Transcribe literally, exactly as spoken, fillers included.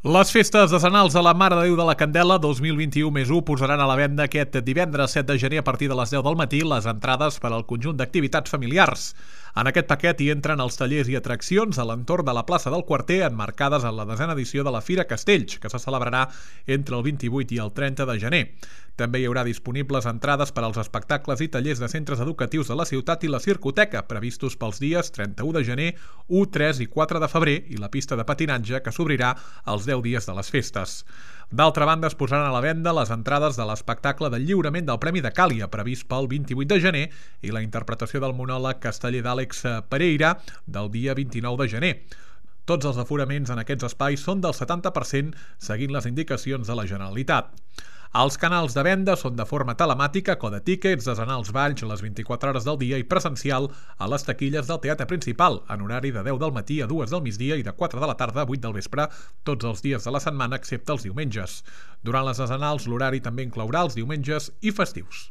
Les festes decenals de la Mare de Déu de la Candela dos mil vint-i-u més u posaran a la venda aquest divendres set de gener a partir de les deu del matí les entrades per al conjunt d'activitats familiars. En aquest paquet hi entren els tallers i atraccions a l'entorn de la plaça del Quarter emmarcades en la desena edició de la Fira Castells, que se celebrarà entre el vint-i-vuit i el trenta de gener. També hi haurà disponibles entrades per als espectacles i tallers de centres educatius de la ciutat i la circoteca, previstos pels dies trenta-u de gener, u, tres i quatre de febrer, i la pista de patinatge, que s'obrirà els deu dies de les festes. D'altra banda, es posaran a la venda les entrades de l'espectacle del lliurament del Premi de Càlia, previst pel vint-i-vuit de gener, i la interpretació del monòleg casteller d'Àlex Pereira del dia vint-i-nou de gener. Tots els aforaments en aquests espais són del setanta per cent, seguint les indicacions de la Generalitat. Els canals de venda són de forma telemàtica, Code Tickets, desenals balls les vint-i-quatre hores del dia i presencial a les taquilles del Teatre Principal, en horari de deu del matí a dues del migdia i de quatre de la tarda a vuit del vespre, tots els dies de la setmana excepte els diumenges. Durant les desenals, l'horari també inclourà els diumenges i festius.